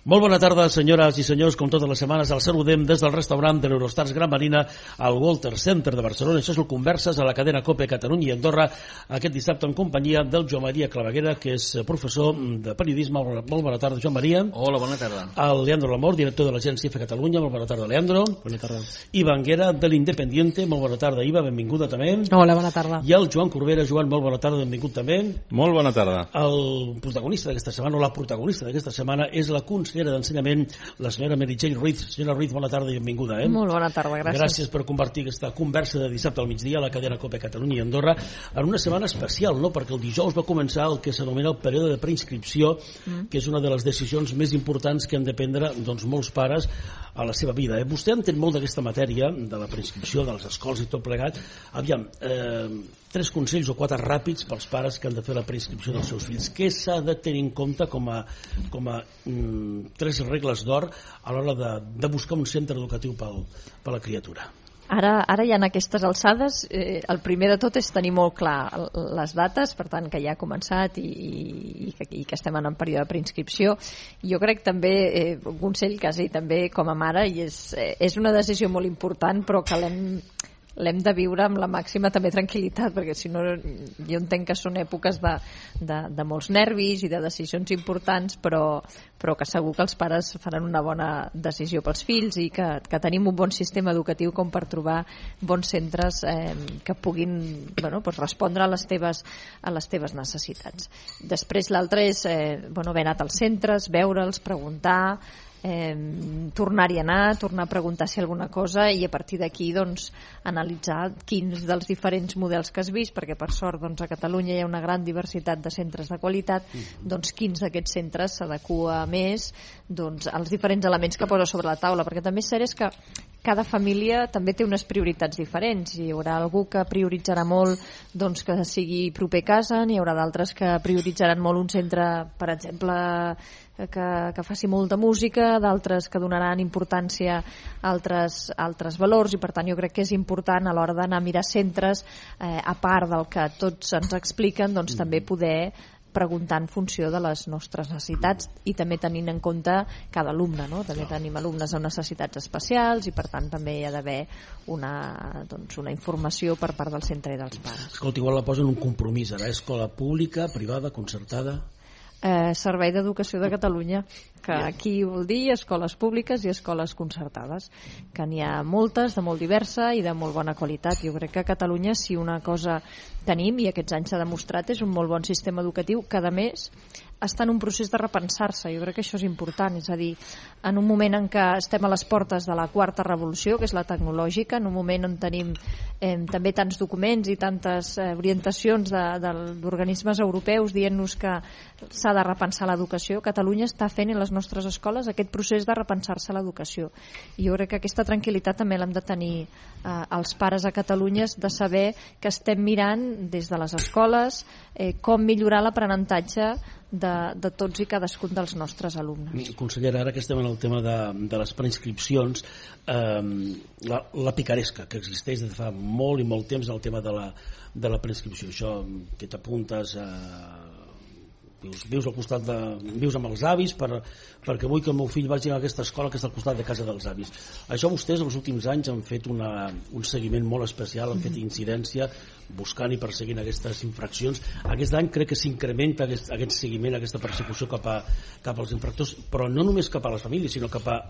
Molt bona tarda, senyores i senyors. Com totes les setmanes, el saludem des del restaurant de l'Eurostars Gran Marina al Walter Center de Barcelona. Això és el Converses a la cadena COPE Catalunya i Andorra, aquest dissabte en companyia del Joan Maria Claveguera, que és professor de periodisme. Molt bona tarda, Joan Maria. Hola, bona tarda. El Leandro Lamor, director de l'agència EFE Catalunya. Molt bona tarda, Leandro. Bona tarda. Iva Anguera, de l'Independiente. Molt bona tarda, Iva. Benvinguda també. Hola, bona tarda. I el Joan Corbera. Joan, molt bona tarda. Benvingut també. Molt bona tarda. El protagonista d'aquesta setmana, o la protagonista d'aquesta setmana, és la consellera d'Ensenyament, la senyora Meritxell Ruiz. Senyora Ruiz, bona tarda i benvinguda. Molt bona tarda, gràcies. Gràcies per convertir aquesta conversa de dissabte al migdia a la cadena COPE Catalunya i Andorra en una setmana especial, no? Perquè el dijous va començar el que s'anomena el període de preinscripció, que és una de les decisions més importants que han de prendre molts pares a la seva vida. Vostè entén molt d'aquesta matèria, de la preinscripció, de les escoles i tot plegat. Aviam, 3 consells o 4 ràpids pels pares que han de fer la preinscripció dels seus fills. Què s'ha de tenir en compte com a 3 regles d'or a l'hora de buscar un centre educatiu per la criatura? Ara ja en aquestes alçades el primer de tot és tenir molt clar les dates, per tant que ja ha començat i que estem en període de preinscripció. Jo crec també, un consell quasi també com a mare, i és una decisió molt important, però que l'hem de viure amb la màxima també tranquil·litat, perquè si no jo entenc que són èpoques de molts nervis i de decisions importants, però que segur que els pares faran una bona decisió pels fills i que tenim un bon sistema educatiu com per trobar bons centres que puguin respondre a les teves necessitats. Després l'altre és haver anat als centres, veure'ls, preguntar, tornar-hi a anar, tornar a preguntar si alguna cosa, i a partir d'aquí analitzar quins dels diferents models que has vist, perquè per sort a Catalunya hi ha una gran diversitat de centres de qualitat, quins d'aquests centres s'adequa més als diferents elements que posa sobre la taula, perquè també és cert és que cada família també té unes prioritats diferents. Hi haurà algú que prioritzarà molt que sigui proper a casa, n'hi haurà d'altres que prioritzaran molt un centre, per exemple, que faci molta música, d'altres que donaran importància a altres valors, i per tant jo crec que és important a l'hora d'anar a mirar centres, a part del que tots ens expliquen, també poder preguntar en funció de les nostres necessitats i també tenint en compte cada alumne, no? També tenim alumnes amb necessitats especials i per tant també hi ha d'haver una informació per part del centre i dels pares. Escolta, igual la posen un compromís ara, escola pública, privada, concertada? Servei d'Educació de Catalunya, que aquí vol dir escoles públiques i escoles concertades, que n'hi ha moltes, de molt diversa i de molt bona qualitat. Jo crec que a Catalunya, si una cosa tenim, i aquests anys s'ha demostrat, és un molt bon sistema educatiu que a més està en un procés de repensar-se. Jo crec que això és important, és a dir, en un moment en què estem a les portes de la quarta revolució, que és la tecnològica, en un moment on tenim també tants documents i tantes orientacions d'organismes europeus dient-nos que s'ha de repensar l'educació, Catalunya està fent en les nostres escoles aquest procés de repensar-se l'educació. I jo crec que aquesta tranquil·litat també l'hem de tenir els pares a Catalunya, de saber que estem mirant des de les escoles com millorar l'aprenentatge de tots i cadascun dels nostres alumnes. Consellera, ara que estem en el tema de les preinscripcions, la picaresca que existeix des de fa molt i molt temps en el tema de la preinscripció, això que t'apuntes vius al costat vius amb els avis perquè vull que el meu fill vagi a aquesta escola que està al costat de casa dels avis. Això vostès els últims anys han fet un seguiment molt especial, han fet incidència buscant i perseguint aquestes infraccions. Aquest any crec que s'incrementa aquest seguiment, aquesta persecució cap als infractors, però no només cap a les famílies, sinó cap a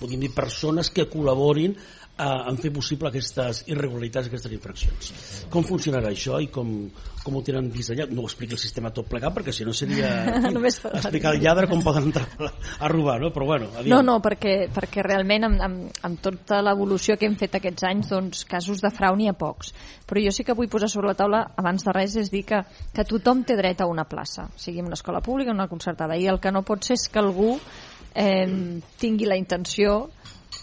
podríem dir, persones que col·laborin en fer possible aquestes irregularitats, aquestes infraccions. Com funcionarà això i com ho tenen dissenyat? No ho explica el sistema tot plegat, perquè si no seria explicar el lladre com poden entrar a robar, no? Però bueno, aviam. No, perquè realment amb tota l'evolució que hem fet aquests anys, casos de frau n'hi ha pocs. Però jo sí que vull posar sobre la taula, abans de res, és dir que tothom té dret a una plaça, sigui en una escola pública o una concertada, i el que no pot ser és que algú tingui la intenció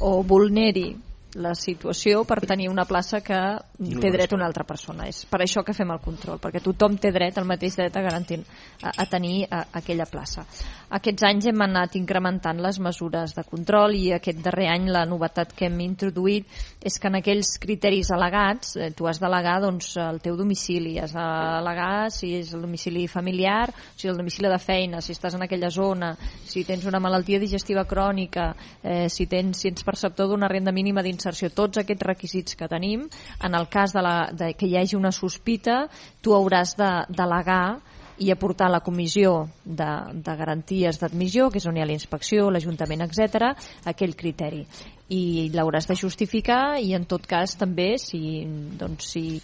o vulneri la situació per tenir una plaça que té dret una altra persona. És per això que fem el control, perquè tothom té dret, el mateix dret a garantir a tenir aquella plaça. Aquests anys hem anat incrementant les mesures de control i aquest darrer any la novetat que hem introduït és que en aquells criteris al·legats tu has d'al·legar el teu domicili, has d'al·legar si és el domicili familiar, si és el domicili de feina, si estàs en aquella zona, si tens una malaltia digestiva crònica, si ets perceptor d'una renda mínima d'inserció, tots aquests requisits que tenim. En el cas de que hi hagi una sospita, tu hauràs d'al·legar i aportar a la comissió de garanties d'admissió, que és on hi ha la inspecció, l'Ajuntament, etc., aquell criteri. I l'hauràs de justificar i en tot cas també si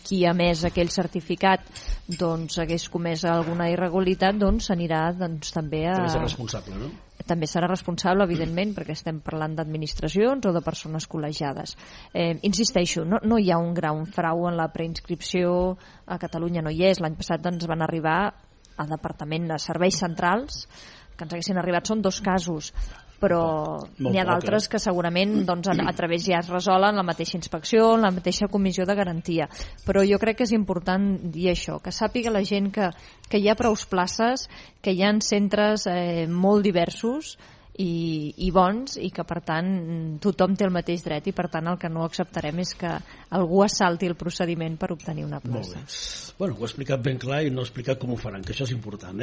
qui ha emès aquell certificat hagués comès alguna irregularitat, s'anirà també a... També serà responsable, no? També serà responsable, evidentment, perquè estem parlant d'administracions o de persones col·legiades. Insisteixo, no hi ha un gran frau en la preinscripció, a Catalunya no hi és. L'any passat ens van arribar al Departament de Serveis Centrals, que ens haguessin arribat, són 2 casos, però n'hi ha d'altres que segurament a través ja es resolen la mateixa inspecció, la mateixa comissió de garantia. Però jo crec que és important dir això, que sàpiga la gent que hi ha prous places, que hi ha centres molt diversos i bons, i que per tant tothom té el mateix dret, i per tant el que no acceptarem és que algú assalti el procediment per obtenir una plaça. Bueno, ho he explicat ben clar i no he explicat com ho faran, que això és important,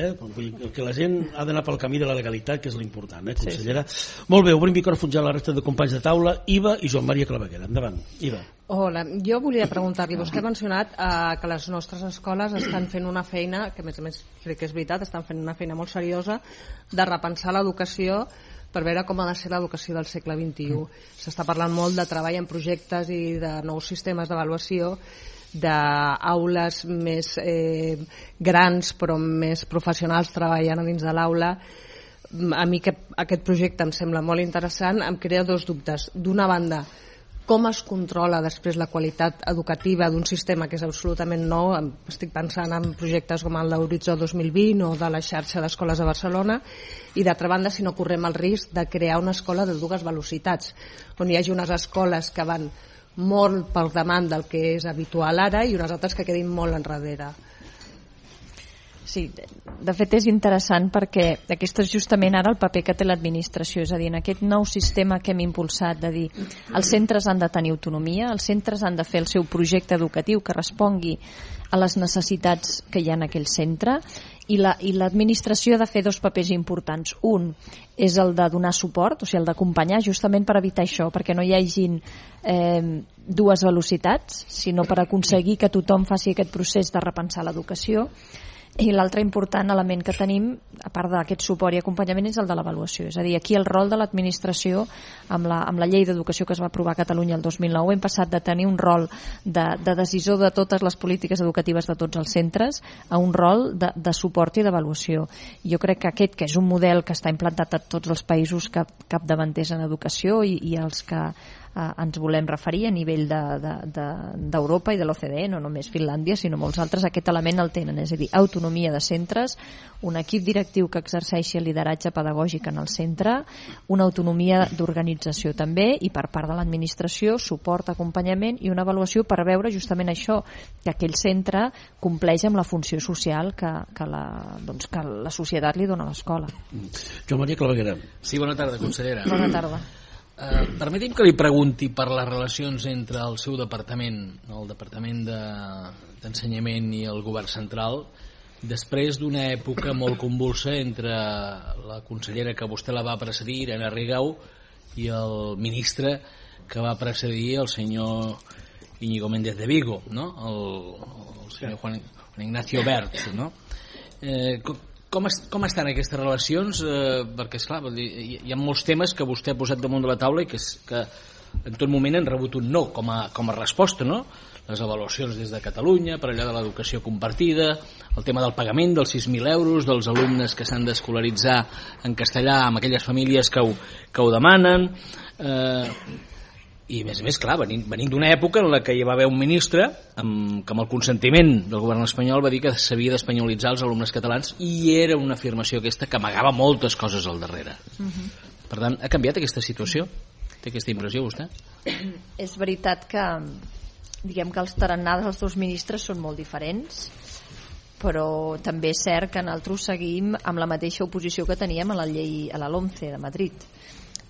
que la gent ha d'anar pel camí de la legalitat, que és l'important, consellera. Sí. Molt bé, obrim micròfons ja a la resta de companys de taula. Iva i Joan Maria Claveguera, endavant. Iva. Hola, jo volia preguntar-li, vostè ha mencionat que les nostres escoles estan fent una feina, que a més crec que és veritat, estan fent una feina molt seriosa de repensar l'educació per veure com ha de ser l'educació del segle XXI. S'està parlant molt de treball en projectes i de nous sistemes d'avaluació, d'aules més grans però més professionals treballant a dins de l'aula. A mi aquest projecte em sembla molt interessant. Em crea 2 dubtes. D'una banda, com es controla després la qualitat educativa d'un sistema que és absolutament nou? Estic pensant en projectes com el d'Horitzó 2020 o de la xarxa d'escoles de Barcelona. I d'altra banda, si no correm el risc de crear una escola de 2 velocitats, on hi hagi unes escoles que van molt per davant del que és habitual ara i unes altres que quedin molt enrere. Sí, de fet és interessant perquè aquest és justament ara el paper que té l'administració, és a dir, en aquest nou sistema que hem impulsat de dir els centres han de tenir autonomia, els centres han de fer el seu projecte educatiu que respongui a les necessitats que hi ha en aquell centre, i l'administració ha de fer 2 papers importants. Un és el de donar suport, o sigui, el d'acompanyar, justament per evitar això, perquè no hi hagin 2 velocitats, sinó per aconseguir que tothom faci aquest procés de repensar l'educació. I l'altre important element que tenim, a part d'aquest suport i acompanyament, és el de l'avaluació. És a dir, aquí el rol de l'administració, amb la llei d'educació que es va aprovar a Catalunya el 2009, hem passat de tenir un rol de decisor de totes les polítiques educatives de tots els centres a un rol de suport i d'avaluació. Jo crec que aquest, que és un model que està implantat a tots els països capdavanters en educació i els que ens volem referir a nivell d'Europa i de l'OCDE, no només Finlàndia sinó molts altres, aquest element el tenen, és a dir, autonomia de centres, un equip directiu que exerceixi el lideratge pedagògic en el centre, una autonomia d'organització també, i per part de l'administració suport, acompanyament i una avaluació per veure justament això, que aquell centre compleix amb la funció social que la societat li dona a l'escola. Joan Maria Claveguera. Sí, bona tarda, consellera. Bona tarda. Permeti'm que li pregunti per les relacions entre el seu departament, el Departament d'Ensenyament i el Govern Central, després d'una època molt convulsa entre la consellera que vostè la va precedir, Irene Rigau, i el ministre que va precedir el senyor Íñigo Méndez de Vigo, no? El senyor Juan Ignacio Wert, no? Com estan aquestes relacions? Perquè, esclar, hi ha molts temes que vostè ha posat damunt de la taula i que en tot moment han rebut un no com a resposta, no? Les avaluacions des de Catalunya, per allà de l'educació compartida, el tema del pagament dels 6.000 euros, dels alumnes que s'han d'escolaritzar en castellà amb aquelles famílies que ho demanen... I a més, clar, venim d'una època en la que hi va haver un ministre que amb el consentiment del govern espanyol va dir que s'havia d'espanyolitzar els alumnes catalans, i era una afirmació aquesta que amagava moltes coses al darrere. Per tant, ha canviat aquesta situació? Té aquesta impressió, vostè? És veritat que, diguem que els tarannars dels dos ministres són molt diferents, però també és cert que nosaltres seguim amb la mateixa oposició que teníem a la llei, a la LOMCE de Madrid,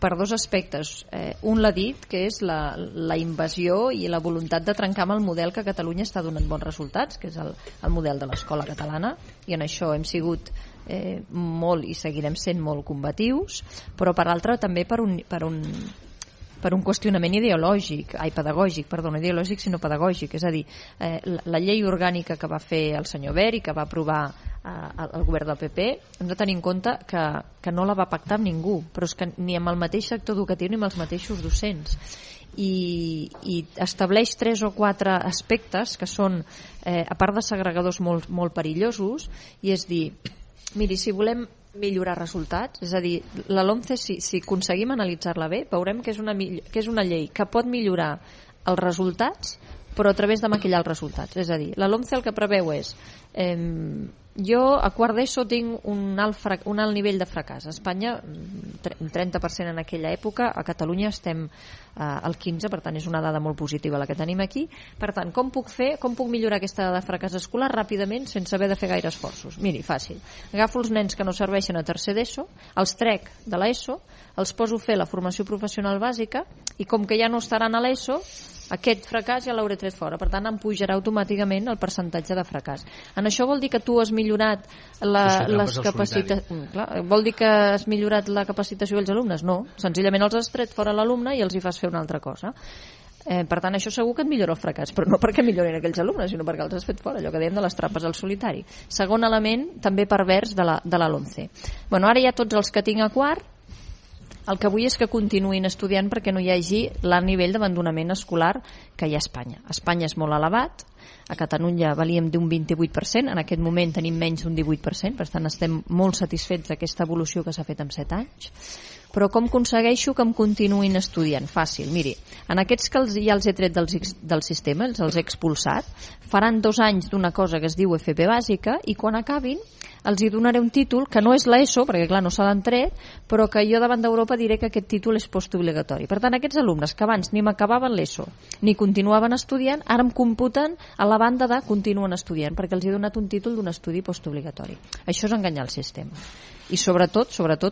per dos aspectes. Un l'ha dit, que és la invasió i la voluntat de trencar amb el model que a Catalunya està donant bons resultats, que és el model de l'escola catalana, i en això hem sigut molt i seguirem sent molt combatius, però per altra també per un qüestionament ideològic, ideològic sinó pedagògic, és a dir, la llei orgànica que va fer el senyor Wert i que va aprovar el govern del PP, hem de tenir en compte que no la va pactar amb ningú, però és que ni amb el mateix sector educatiu ni amb els mateixos docents, i estableix 3 o 4 aspectes que són, a part de segregadors molt perillosos, i és dir, miri, si volem millorar resultats, és a dir, la LOMCE, si aconseguim analitzar-la bé, veurem que és una llei que pot millorar els resultats, però a través de maquillar els resultats. És a dir, la LOMCE el que preveu és jo a quart d'ESO tinc un alt nivell de fracàs. A Espanya un 30% en aquella època, a Catalunya estem al 15%, per tant és una dada molt positiva la que tenim aquí. Per tant, com puc millorar aquesta dada de fracàs escolar ràpidament sense haver de fer gaire esforços? Miri, fàcil. Agafo els nens que no serveixen a tercer d'ESO, els trec de l'ESO, els poso a fer la formació professional bàsica, i com que ja no estaran a l'ESO, aquest fracàs ja l'hauré tret fora, per tant em pujarà automàticament el percentatge de fracàs. En això vol dir que tu has millorat les capacitats, vol dir que has millorat la capacitació dels alumnes? No, senzillament els has tret fora l'alumne i els hi fas fer una altra cosa. Per tant, això segur que et millora el fracàs, però no perquè millorin aquells alumnes, sinó perquè els has fet fora, allò que dèiem de les trampes al solitari. Segon element, també pervers de la LOMCE. Ara ja tots els que tinc a quart, el que vull és que continuïn estudiant perquè no hi hagi l'alt nivell d'abandonament escolar que hi ha a Espanya. A Espanya és molt elevat, a Catalunya valíem d'un 28%, en aquest moment tenim menys d'un 18%, per tant estem molt satisfets d'aquesta evolució que s'ha fet en 7 anys. Però com aconsegueixo que em continuïn estudiant? Fàcil, miri, en aquests que ja els he tret del sistema, els he expulsat, faran 2 anys d'una cosa que es diu FP bàsica, i quan acabin els hi donaré un títol que no és l'ESO, perquè clar, no se l'han tret, però que jo davant d'Europa diré que aquest títol és postobligatori. Per tant, aquests alumnes que abans ni m'acabaven l'ESO ni continuaven estudiant, ara em computen a la banda de continuen estudiant, perquè els he donat un títol d'un estudi postobligatori. Això és enganyar el sistema. I sobretot,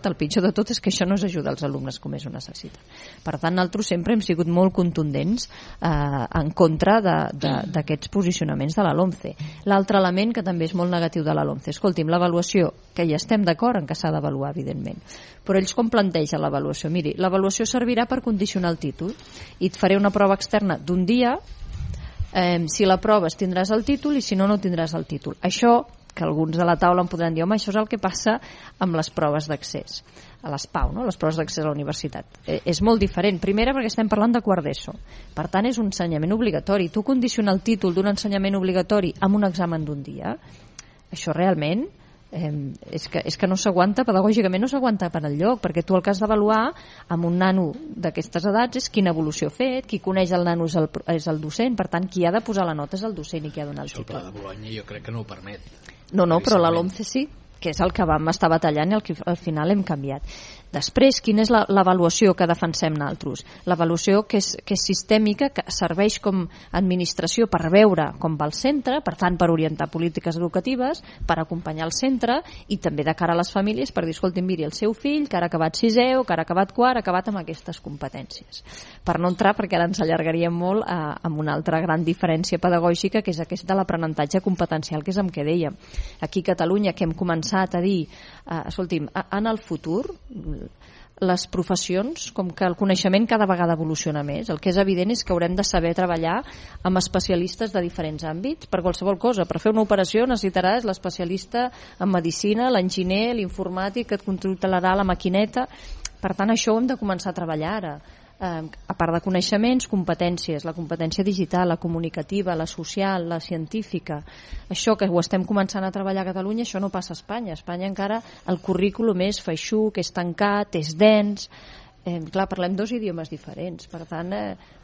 el pitjor de tot és que això no s'ajuda als alumnes com ells ho necessiten. Per tant, nosaltres sempre hem sigut molt contundents en contra d'aquests posicionaments de la LOMCE. L'altre element que també és molt negatiu de la LOMCE, escolti'm, l'avaluació, que ja estem d'acord en que s'ha d'avaluar, evidentment, però ells com plantegen l'avaluació? Miri, l'avaluació servirà per condicionar el títol i et faré una prova externa d'un dia, si l'aproves tindràs el títol i si no, no tindràs el títol. Això, que alguns de la taula em podran dir, home, això és el que passa amb les proves d'accés a les PAU, no? Les proves d'accés a la universitat. És molt diferent. Primera, perquè estem parlant de quart d'ESO. Per tant, és un ensenyament obligatori. Tu condicionar el títol d'un ensenyament obligatori amb un examen d'un dia, això realment és que no s'aguanta, pedagògicament no s'aguanta per enlloc, perquè tu el que has d'avaluar amb un nano d'aquestes edats és quina evolució ha fet, qui coneix el nano és el docent, per tant qui ha de posar la nota és el docent i qui ha de donar el títol. El Pla de Bolonya jo crec que no ho permet. No, però la LOMCE sí, que és el que vam estar batallant i el que al final hem canviat. Després, quina és l'avaluació que defensem nosaltres? L'avaluació que és sistèmica, que serveix com administració per veure com va el centre, per tant per orientar polítiques educatives, per acompanyar el centre i també de cara a les famílies per dir, escolti, miri, el seu fill que ara ha acabat 6è o que ara ha acabat 4 ha acabat amb aquestes competències. Per no entrar, perquè ara ens allargaríem molt amb una altra gran diferència pedagògica, que és aquesta de l'aprenentatge competencial, que és amb què dèiem. Aquí a Catalunya, que hem començat a dir, escolti'm, en el futur les professions, com que el coneixement cada vegada evoluciona més, el que és evident és que haurem de saber treballar amb especialistes de diferents àmbits per qualsevol cosa. Per fer una operació necessitaràs l'especialista en medicina, l'enginyer, l'informàtic que et controlarà la maquineta. Per tant, això ho hem de començar a treballar ara. A part de coneixements, competències, la competència digital, la comunicativa, la social, la científica. Això que ho estem començant a treballar a Catalunya, això no passa a Espanya. A Espanya encara el currículum és feixuc, és tancat, és dens, clar, parlem dos idiomes diferents, per tant,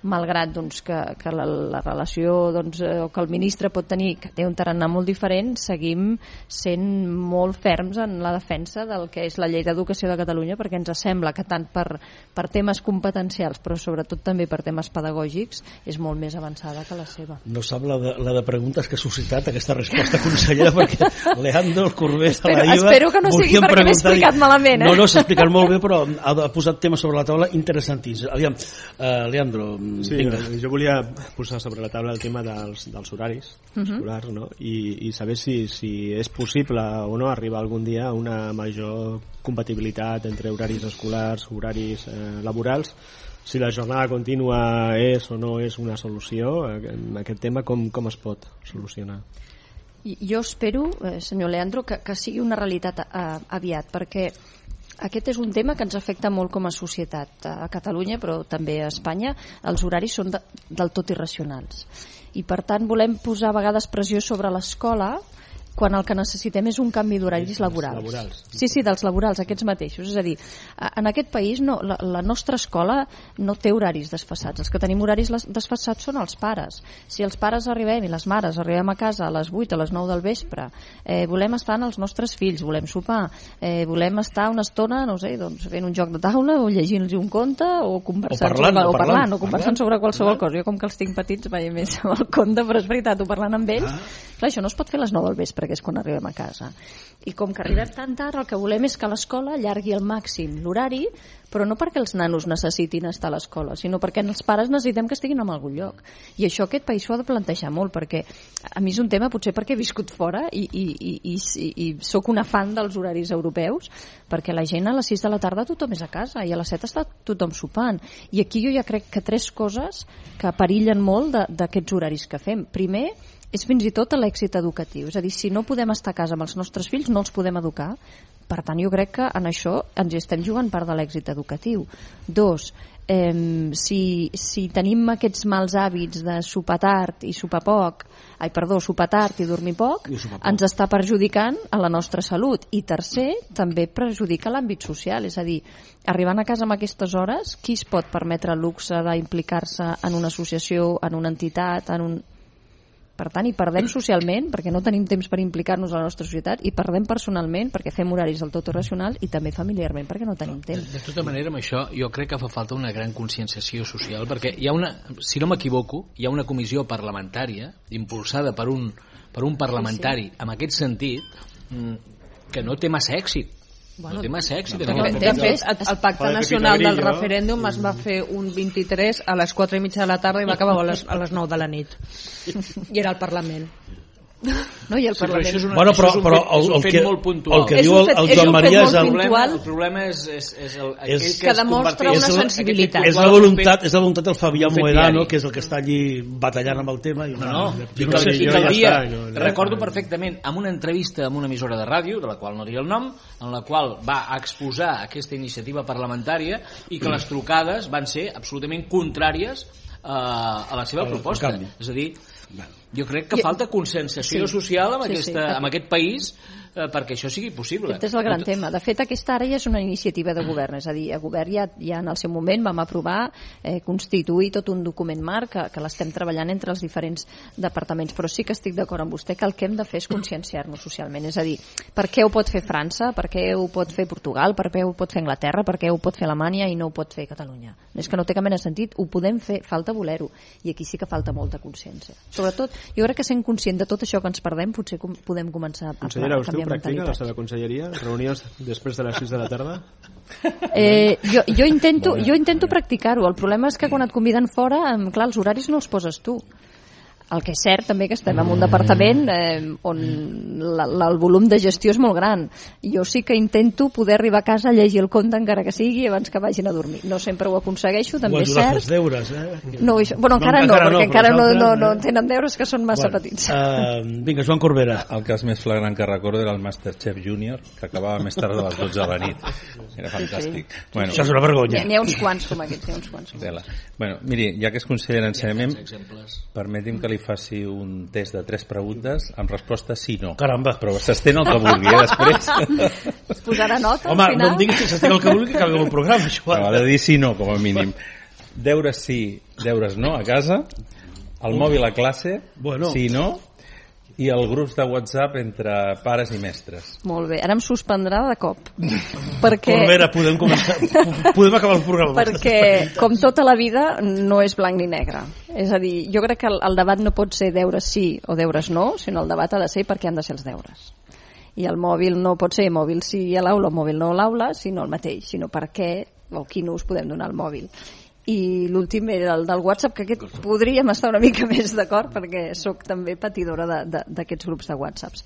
malgrat doncs, que la relació doncs, o que el ministre pot tenir, que té un tarannà molt diferent, seguim sent molt ferms en la defensa del que és la llei d'educació de Catalunya, perquè ens sembla que tant per temes competencials, però sobretot també per temes pedagògics, és molt més avançada que la seva. No sap la de preguntes que ha suscitat aquesta resposta, consellera, perquè Leandro, el Corbés de la IVA... Espero que no sigui perquè m'he explicat malament. No, s'ha explicat molt bé, però ha posat temes sobre la taula interessantíssims. Aviam, Leandro, sí, vinga. Jo volia posar sobre la taula el tema dels horaris escolars, no? I saber si és possible o no arribar algun dia a una major compatibilitat entre horaris escolars, horaris laborals, si la jornada contínua és o no és una solució. En aquest tema com es pot solucionar? Jo espero, senyor Leandro, que sigui una realitat aviat, perquè aquest és un tema que ens afecta molt com a societat a Catalunya, però també a Espanya. Els horaris són del tot irracionals i per tant volem posar a vegades pressió sobre l'escola quan el que necessitem és un canvi d'horaris laborals. Sí, dels laborals, aquests mateixos. És a dir, en aquest país la nostra escola no té horaris desfasats. Els que tenim horaris desfasats són els pares. Si els pares arribem i les mares arribem a casa a les 8, a les 9 del vespre, volem estar amb els nostres fills, volem sopar, volem estar una estona, no sé, doncs, fent un joc de taula o llegint-los un conte o conversant o conversant sobre qualsevol cosa. Jo com que els tinc petits vaig més amb el conte, però és veritat, o parlant amb ells. Clar, això no es pot fer a les 9 del vespre, que és quan arribem a casa. I com que arribem tan tard, el que volem és que l'escola allargui al màxim l'horari, però no perquè els nanos necessitin estar a l'escola, sinó perquè els pares necessitem que estiguin en algun lloc. I això aquest país s'ho ha de plantejar molt, perquè a mi és un tema, potser perquè he viscut fora i sóc una fan dels horaris europeus, perquè la gent a les 6 de la tarda tothom és a casa i a les 7 està tothom sopant. I aquí jo ja crec que 3 coses que perillen molt d'aquests horaris que fem. Primer, és fins i tot l'èxit educatiu. És a dir, si no podem estar a casa amb els nostres fills, no els podem educar. Per tant, jo crec que en això ens hi estem jugant part de l'èxit educatiu. 2, si tenim aquests mals hàbits de sopar tard i sopar tard i dormir poc, ens està perjudicant a la nostra salut. I tercer, també perjudica l'àmbit social. És a dir, arribant a casa amb aquestes hores, qui es pot permetre el luxe d'implicar-se en una associació, en una entitat, Per tant, hi perdem socialment, perquè no tenim temps per implicar-nos a la nostra societat, i perdem personalment, perquè fem horaris del tot irracionals, i també familiarment, perquè no tenim temps. De tota manera, amb això, jo crec que fa falta una gran conscienciació social, perquè hi ha si no m'equivoco, hi ha una comissió parlamentària, impulsada per un parlamentari, amb aquest sentit, que no té massa èxit. No té massa èxit. De fet, el Pacte Nacional del Referèndum es va fer un 23 a les 4:30 de la tarda i va acabar a les 9 de la nit. I era al Parlament. No, i el Parlament... Sí, però és un fet molt puntual. El que diu el Joan Maria és el problema és que demostra una sensibilitat. És la voluntat del Fabià Mohedano, que és el que està allí batallant amb el tema. I que el dia, recordo perfectament, amb una entrevista amb una emissora de ràdio, de la qual no diré el nom, en la qual va exposar aquesta iniciativa parlamentària i que les trucades van ser absolutament contràries a la seva proposta. És a dir, jo crec que falta conscienciació social amb aquest país perquè això sigui possible. Aquest és el gran tema. De fet, aquesta ara ja és una iniciativa de govern, és a dir, a govern ja en el seu moment vam aprovar constituir tot un document marc que l'estem treballant entre els diferents departaments, però sí que estic d'acord amb vostè que el que hem de fer és conscienciar-nos socialment, és a dir, per què ho pot fer França, per què ho pot fer Portugal, per què ho pot fer Anglaterra, per què ho pot fer Alemanya i no ho pot fer Catalunya. És que no té cap mena de sentit, ho podem fer, falta voler-ho, i aquí sí que falta molta consciència. Sobretot, jo crec que sent conscient de tot això que ens perdem, potser podem començar a canviar mentalitats. Practica la seva conselleria? Reunions després de les 6 de la tarda? Jo intento practicar-ho. El problema és que quan et conviden fora, clar, els horaris no els poses tu. El que és cert també que estem en un departament on el volum de gestió és molt gran. Jo sí que intento poder arribar a casa a llegir el conte encara que sigui abans que vagin a dormir. No sempre ho aconsegueixo, també és cert. Els deures, No, encara no, perquè encara no tenen deures que són massa petits. Vinga, Joan Corbera. El cas més flagrant que recordo era el Masterchef Junior, que acabava més tard de les 12 de la nit. Era fantàstic. Bueno, això és una vergonya. N'hi ha uns quants com aquests, Bueno, miri, ja que és conseller d'Ensenyament, permeti'm que li li faci un test de 3 preguntes amb resposta sí, no. Caramba. Però s'estén el que vulgui, després. Es posarà nota Home, al final? no em diguis que s'estén el que vulgui que acabi el programa, això. Però ha de dir sí, no, com a mínim. Deures sí, deures no a casa, el mòbil a classe, sí, no, i els grups de WhatsApp entre pares i mestres. Molt bé, ara em suspendrà de cop. Perquè... Corbera, podem començar, podem acabar el programa. Perquè, com tota la vida, no és blanc ni negre. És a dir, jo crec que el debat no pot ser deures sí o deures no, sinó el debat ha de ser per què han de ser els deures. I el mòbil no pot ser mòbil sí a l'aula o mòbil no a l'aula, sinó el mateix, sinó per què o quin ús podem donar al mòbil. I l'últim era el del WhatsApp, que aquest podríem estar una mica més d'acord perquè sóc també patidora d'aquests grups de WhatsApps.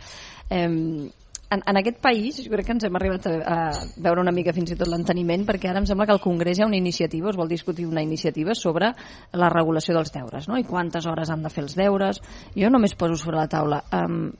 En aquest país jo crec que ens hem arribat a veure una mica fins i tot l'enteniment, perquè ara em sembla que al Congrés hi ha una iniciativa, es vol discutir una iniciativa sobre la regulació dels deures, no? I quantes hores han de fer els deures. Jo només poso sobre la taula,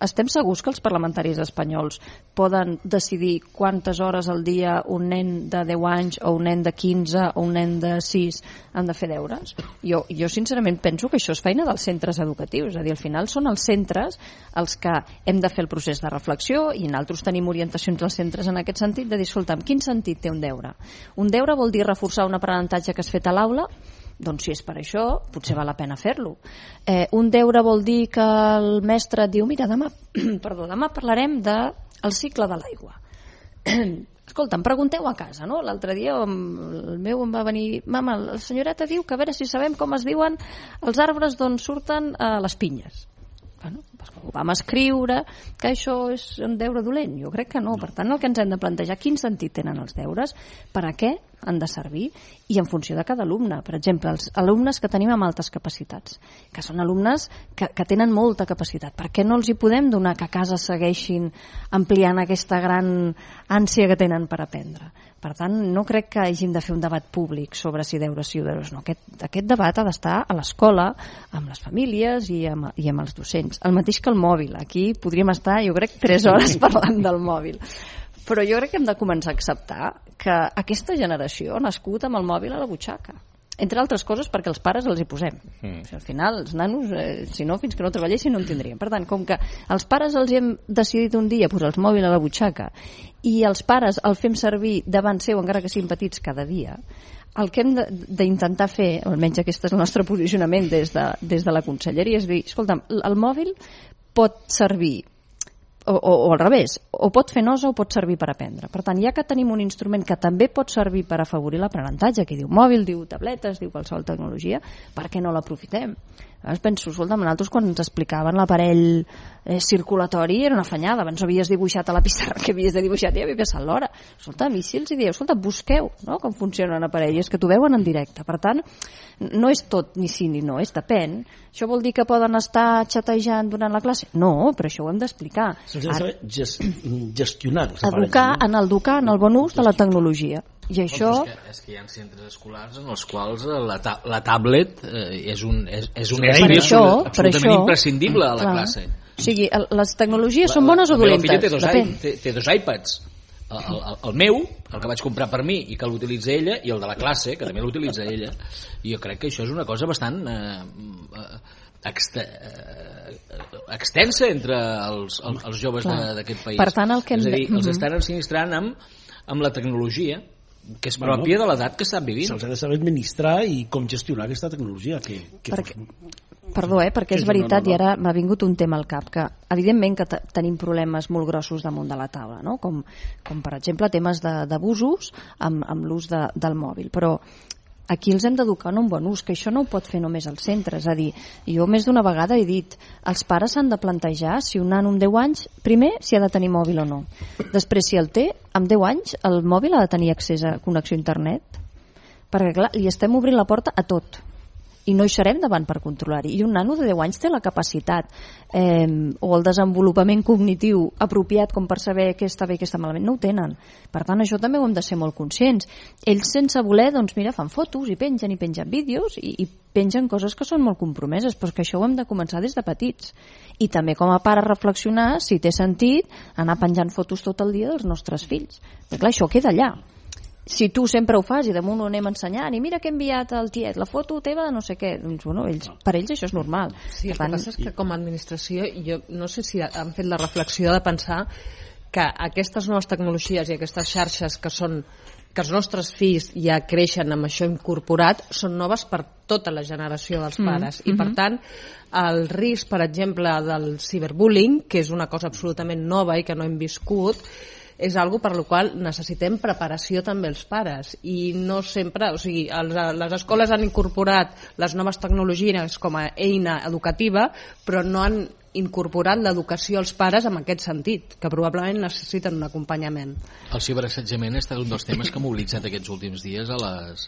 estem segurs que els parlamentaris espanyols poden decidir quantes hores al dia un nen de 10 anys o un nen de 15 o un nen de 6 han de fer deures? Jo sincerament penso que això és feina dels centres educatius, és a dir, al final són els centres els que hem de fer el procés de reflexió, i nosaltres tenim orientacions als centres en aquest sentit, de dir, escolta'm, quin sentit té un deure? Un deure vol dir reforçar un aprenentatge que has fet a l'aula? Doncs si és per això, potser val la pena fer-lo. Un deure vol dir que el mestre et diu, mira, demà parlarem del cicle de l'aigua. Escolta'm, pregunteu a casa, no? L'altre dia el meu em va venir, mama, la senyoreta diu que a veure si sabem com es diuen els arbres d'on surten les pinyes. Bueno, doncs ho vam escriure, que això és un deure dolent. Jo crec que no. Per tant, el que ens hem de plantejar, quin sentit tenen els deures, per a què han de servir, i en funció de cada alumne. Per exemple, els alumnes que tenim amb altes capacitats, que són alumnes que tenen molta capacitat, per què no els hi podem donar que a casa segueixin ampliant aquesta gran ànsia que tenen per aprendre? Per tant, no crec que hagin de fer un debat públic sobre si deures sí o deures no. Aquest debat ha d'estar a l'escola, amb les famílies i amb els docents. El mateix que el mòbil. Aquí podríem estar, jo crec, 3 hores parlant del mòbil. Però jo crec que hem de començar a acceptar que aquesta generació ha nascut amb el mòbil a la butxaca. Entre altres coses perquè els pares els hi posem. Al final, els nanos, si no, fins que no treballessin no en tindrien. Per tant, com que els pares els hem decidit un dia posar el mòbil a la butxaca i els pares el fem servir davant seu, encara que siguin petits, cada dia, el que hem d'intentar fer, almenys aquest és el nostre posicionament des de la conselleria, és dir, escolta'm, el mòbil pot servir o al revés, o pot fer nosa o pot servir per aprendre. Per tant, ja que tenim un instrument que també pot servir per afavorir l'aprenentatge, que diu mòbil, diu tabletes, diu qualsevol tecnologia, per què no l'aprofitem? Llavors penso, escolta'm, nosaltres quan ens explicaven l'aparell circulatori era una afanyada, abans havies dibuixat a la pissarra que havies de dibuixar i havia passat l'hora. Escolta'm, i si els dieu, escolta, busqueu, no?, com funciona un aparell, és que t'ho veuen en directe. Per tant, no és tot ni sí ni no, és depèn. Això vol dir que poden estar xatejant durant la classe? No, però això ho hem d'explicar. Se'ls ha de saber gestionar. Educar en el bon ús de la tecnologia. I això... És que hi ha centres escolars en els quals la tablet és un eina absolutament imprescindible a la classe. O sigui, les tecnologies són bones o dolentes? Té 2 iPads. El meu, el que vaig comprar per mi i que l'utilitza ella, i el de la classe, que també l'utilitza ella. I jo crec que això és una cosa bastant extensa entre els joves d'aquest país. Per tant, és a dir, els estan ensinistrant amb la tecnologia que és pròpia de l'edat que estan vivint. Se'ls ha de saber administrar i com gestionar aquesta tecnologia. Perdó, perquè és veritat, i ara m'ha vingut un tema al cap, que evidentment que tenim problemes molt grossos damunt de la taula, no? com per exemple temes d'abusos amb l'ús del mòbil, però aquí els hem d'educar en un bon ús, que això no ho pot fer només el centre. És a dir, jo més d'una vegada he dit, els pares s'han de plantejar si un nano amb 10 anys, primer, si ha de tenir mòbil o no. Després, si el té, amb 10 anys, el mòbil ha de tenir accés a connexió a internet. Perquè, clar, li estem obrint la porta a tot. I no hi serem davant per controlar-hi. I un nano de 10 anys té la capacitat o el desenvolupament cognitiu apropiat com per saber què està bé i què està malament. No ho tenen. Per tant, això també ho hem de ser molt conscients. Ells, sense voler, doncs mira, fan fotos i pengen vídeos i pengen coses que són molt compromeses, però que això ho hem de començar des de petits. I també com a pare reflexionar si té sentit anar penjant fotos tot el dia dels nostres fills. Perquè clar, això queda allà. si tu sempre ho fas i damunt ho anem ensenyant i mira que he enviat al tiet, la foto teva de no sé què, doncs bueno, per ells això és normal. Sí, el que passa és que com a administració jo no sé si han fet la reflexió de pensar que aquestes noves tecnologies i aquestes xarxes que els nostres fills ja creixen amb això incorporat són noves per tota la generació dels pares i per tant el risc, per exemple, del ciberbullying, que és una cosa absolutament nova i que no hem viscut, és algo per la qual necessitem preparació també els pares i no sempre, o sigui, les escoles han incorporat les noves tecnologies com a eina educativa però no han incorporat l'educació als pares en aquest sentit, que probablement necessiten un acompanyament. El ciberassetjament ha estat un dels temes que ha mobilitzat aquests últims dies a les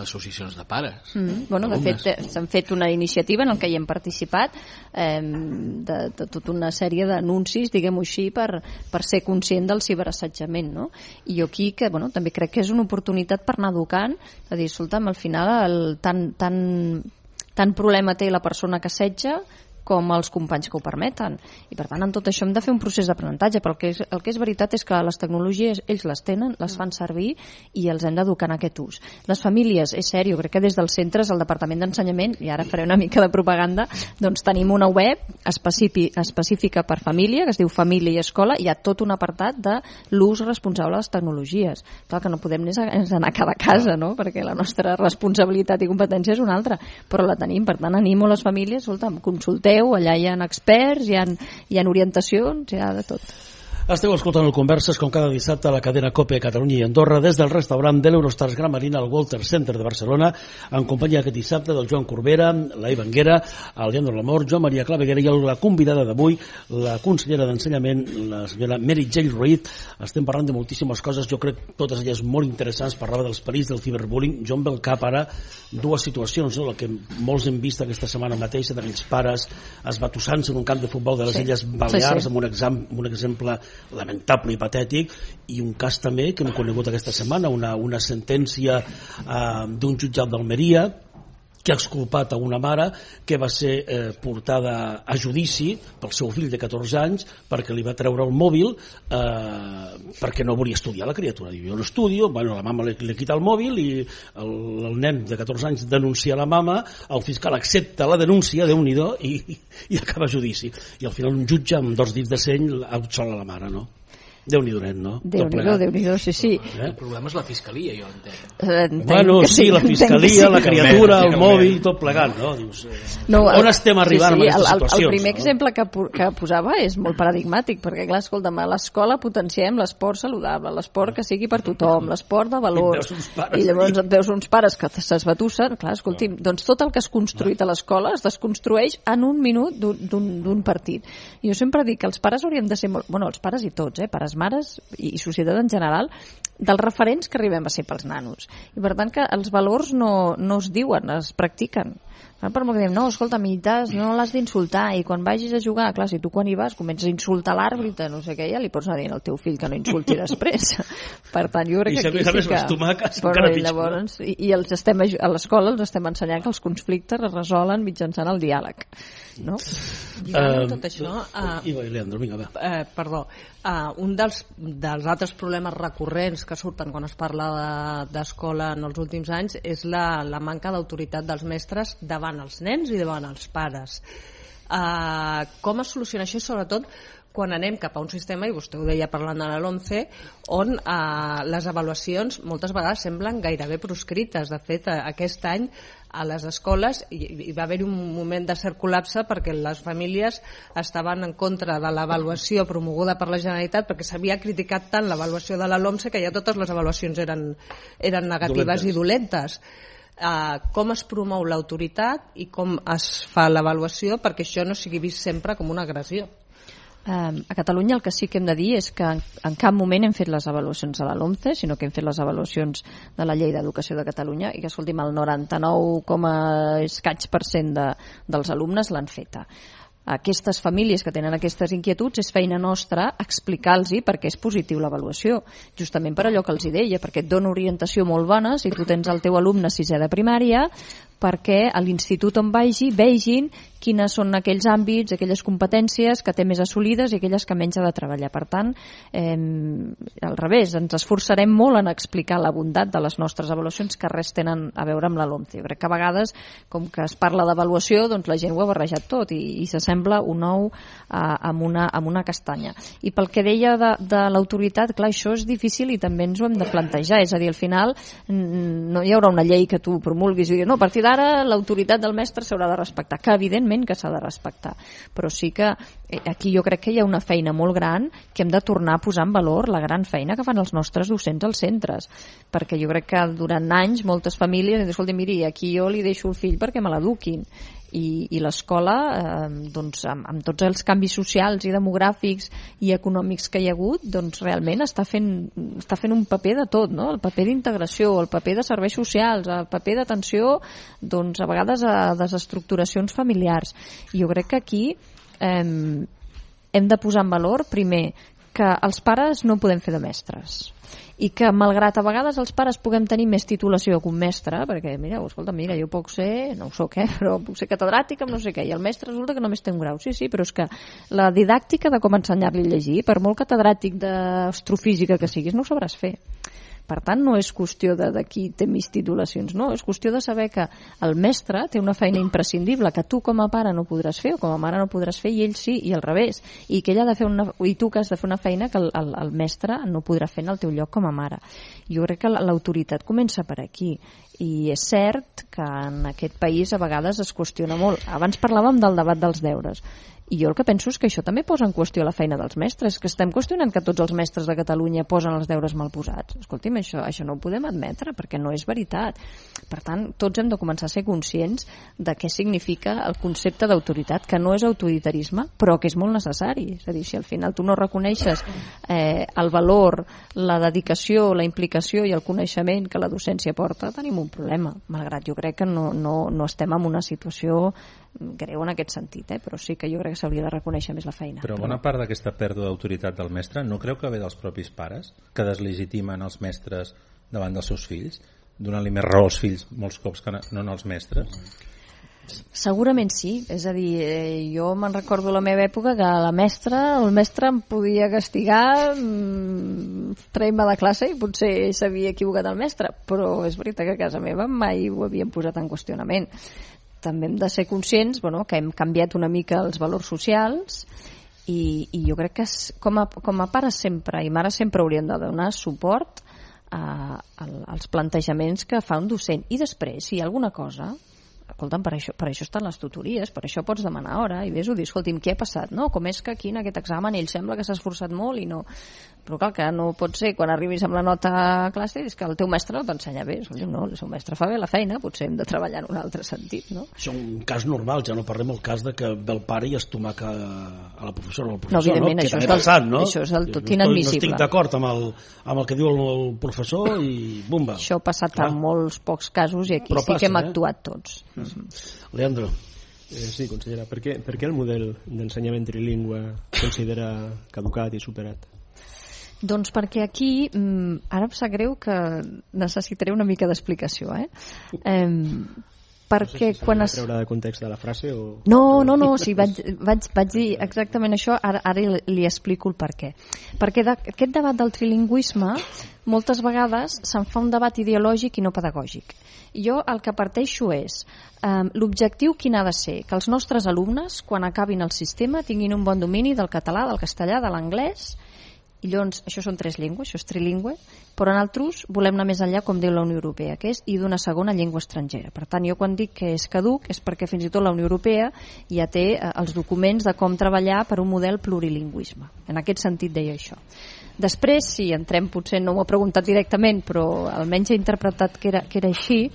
associacions de pares. Bueno, de fet, s'han fet una iniciativa en el que hi hem participat de tota una sèrie d'anuncis, diguem-ho així, per ser conscient del ciberassetjament, no? I jo aquí que, bueno, també crec que és una oportunitat per anar educant, a dir, escolta'm, al final tant problema té la persona que assetja com els companys que ho permeten. I per tant, en tot això hem de fer un procés d'aprenentatge, però el que és veritat és que les tecnologies ells les tenen, les fan servir i els hem d'educar en aquest ús. Les famílies, és sèrio, crec que des dels centres, el Departament d'Ensenyament, i ara faré una mica de propaganda, doncs tenim una web específica per família, que es diu Família i Escola, i hi ha tot un apartat de l'ús responsable de les tecnologies. Clar que no podem és anar a cada casa, no? Perquè la nostra responsabilitat i competència és una altra, però la tenim. Per tant, animo les famílies, escolta'm, consulteu, allà hi ha experts, hi ha orientacions, hi ha de tot. Esteu escoltant el Converses com cada dissabte a la cadena COPE Catalunya i Andorra des del restaurant de l'Eurostars Gran Marina al Walter Center de Barcelona en companyia aquest dissabte del Joan Corbera, la Ivanguera, el Leandro Lamor, Joan Maria Claveguera i la convidada d'avui, la consellera d'Ensenyament, la senyora Meritxell Ruiz. Estem parlant de moltíssimes coses, jo crec totes elles molt interessants. Parlava dels perills del ciberbullying. Jo em ve al cap ara dues situacions, no? La que molts hem vist aquesta setmana mateixa d'aquells pares esbatussant-se en un camp de futbol de les Illes Balears amb un exemple lamentable i patètic, i un cas també que hem conegut aquesta setmana, una sentència d'un jutjat d'Almeria que ha exculpat a una mare que va ser portada a judici pel seu fill de 14 anys perquè li va treure el mòbil perquè no volia estudiar la criatura. Diu, jo no estudio, bueno, la mama li quita el mòbil i el nen de 14 anys denuncia la mama, el fiscal accepta la denúncia, Déu-n'hi-do, i acaba a judici. I al final un jutge amb 2 dits de seny absola la mare, no? Déu-n'hi-do, no? Déu-n'hi-do, sí. El problema és la fiscalia, jo entenc. Bueno, sí, la fiscalia, la criatura, el mòbil, tot plegat, no? Dius, on estem arribant amb aquestes situacions? El primer exemple que posava és molt paradigmàtic, perquè, clar, escolta'm, a l'escola potenciem l'esport saludable, l'esport que sigui per tothom, l'esport de valors, i llavors et veus uns pares que s'esbatussen, clar, escolti'm, doncs tot el que has construït a l'escola es desconstrueix en un minut d'un partit. I jo sempre dic que els pares hauríem de ser molt... Bueno, els pares i tots, pares, mares i societat en general, dels referents que arribem a ser pels nanos. I per tant que els valors no es diuen, es practiquen. Per molt que diem, no, escolta, no l'has d'insultar, i quan vagis a jugar, clar, si tu quan hi vas comences a insultar l'àrbitre, no sé què, ja li pots anar dient al teu fill que no insulti després. Per tant, jo crec que aquí sí que... Llavors, i a l'escola els estem ensenyant que els conflictes es resolen mitjançant el diàleg. No? Tot això... Leandro, vinga, va. Perdó. Un dels altres problemes recurrents que surten quan es parla d'escola en els últims anys és la manca d'autoritat dels mestres davant els nens i davant els pares. Com es soluciona això? Sobretot quan anem cap a un sistema, i vostè ho deia parlant de la LOMCE, on les avaluacions moltes vegades semblen gairebé proscrites. De fet, aquest any a les escoles hi va haver un moment de cert col·lapse perquè les famílies estaven en contra de l'avaluació promoguda per la Generalitat, perquè s'havia criticat tant l'avaluació de la LOMCE que ja totes les avaluacions eren negatives i dolentes. Com es promou l'autoritat i com es fa l'avaluació perquè això no sigui vist sempre com una agressió? A Catalunya el que sí que hem de dir és que en cap moment hem fet les avaluacions de la LOMCE, sinó que hem fet les avaluacions de la Llei d'Educació de Catalunya, i que, escolti'm, el 99,escaig% dels alumnes l'han feta. Aquestes famílies que tenen aquestes inquietuds és feina nostra explicar-los per què és positiu l'avaluació, justament per allò que els deia, perquè et dona orientació molt bona si tu tens el teu alumne 6è de primària, perquè a l'institut on vegin quines són aquells àmbits, aquelles competències que té més assolides i aquelles que menys ha de treballar. Per tant, al revés, ens esforçarem molt en explicar la bondat de les nostres avaluacions que res tenen a veure amb la LOMCE. Jo crec que a vegades, com que es parla d'avaluació, doncs la gent ho ha barrejat tot i s'assembla un ou amb una castanya. I pel que deia de l'autoritat, clar, això és difícil i també ens ho hem de plantejar. És a dir, al final no hi haurà una llei que tu promulguis i dir, no, a partir d'ara l'autoritat del mestre s'haurà de respectar, que evidentment que s'ha de respectar, però sí que aquí jo crec que hi ha una feina molt gran que hem de tornar a posar en valor la gran feina que fan els nostres docents als centres, perquè jo crec que durant anys moltes famílies han dit, escolta, miri, aquí jo li deixo el fill perquè me l'eduquin, i l'escola, doncs, amb tots els canvis socials i demogràfics i econòmics que hi ha hagut, doncs realment està fent un paper de tot, no? El paper d'integració, el paper de serveis socials, el paper d'atenció, doncs a vegades a desestructuracions familiars. I jo crec que aquí hem de posar en valor, primer, que els pares no podem fer de mestres, i que malgrat a vegades els pares puguem tenir més titulació que un mestre, perquè mira, jo puc ser, no ho soc, però puc ser catedràtic amb no sé què, i el mestre resulta que només té un grau. Sí, però és que la didàctica de com ensenyar-li a llegir, per molt catedràtic d'astrofísica que siguis, no ho sabràs fer. Per tant, no és qüestió de qui té més titulacions, no, és qüestió de saber que el mestre té una feina imprescindible que tu com a pare no podràs fer o com a mare no podràs fer i ell sí, i al revés, i que ell ha de fer i tu que has de fer una feina que el mestre no podrà fer en el teu lloc com a mare. Jo crec que l'autoritat comença per aquí, i és cert que en aquest país a vegades es qüestiona molt. Abans parlàvem del debat dels deures, i jo el que penso és que això també posa en qüestió la feina dels mestres, que estem qüestionant que tots els mestres de Catalunya posen els deures mal posats. Escolti'm, això no ho podem admetre, perquè no és veritat. Per tant, tots hem de començar a ser conscients de què significa el concepte d'autoritat, que no és autoritarisme, però que és molt necessari. És a dir, si al final tu no reconeixes el valor, la dedicació, la implicació i el coneixement que la docència porta, tenim un problema, malgrat jo crec que no estem en una situació greu en aquest sentit, però sí que jo crec que s'hauria de reconèixer més la feina. Però bona part d'aquesta pèrdua d'autoritat del mestre no creu que ve dels propis pares, que deslegitimen els mestres davant dels seus fills, donant-li més raó als fills molts cops que no als mestres? Segurament sí, és a dir, jo me'n recordo la meva època que el mestre em podia castigar, traient-me de classe, i potser s'havia equivocat el mestre, però és veritat que a casa meva mai ho havien posat en qüestionament. També hem de ser conscients que hem canviat una mica els valors socials i jo crec que com a pares sempre i mares sempre hauríem de donar suport als plantejaments que fa un docent. I després, si hi ha alguna cosa, escolta'm, per això estan les tutories, per això pots demanar hora i vés-ho dir, escolti'm, què ha passat? No? Com és que aquí en aquest examen ell sembla que s'ha esforçat molt i no... Però clar, que no pot ser quan arribis amb la nota a classe és que el teu mestre no t'ensenya bé. Escolti'm, no, el seu mestre fa bé la feina, potser hem de treballar en un altre sentit, no? Això és un cas normal, ja no parlem del cas de que ve el pare i es tomaca a la professora o al professor. No, evidentment, no? Això és del tot inadmissible. No estic d'acord amb el que diu el professor i bumba. Això ha passat en molts pocs casos i aquí sí que hem actuat tots. Leandro. Sí, consellera, per què el model d'ensenyament trilingüe considera caducat i superat? Doncs perquè aquí, ara em sap greu que necessitaré una mica d'explicació, perquè no sé si quan treure de context de la frase o... No, sí, vaig dir exactament això, ara li explico el per què. Perquè aquest debat del trilingüisme moltes vegades se'n fa un debat ideològic i no pedagògic. Jo el que parteixo és l'objectiu quin ha de ser? Que els nostres alumnes, quan acabin el sistema, tinguin un bon domini del català, del castellà, de l'anglès. I llavors, això són 3 llengües, això és trilingüe, però en altres volem anar més enllà, com diu la Unió Europea, que és i d'una segona llengua estrangera. Per tant, jo quan dic que és caduc és perquè fins i tot la Unió Europea ja té els documents de com treballar per un model plurilingüisme. En aquest sentit deia això. Després, si entrem, potser no m'ho ha preguntat directament, però almenys he interpretat que era així,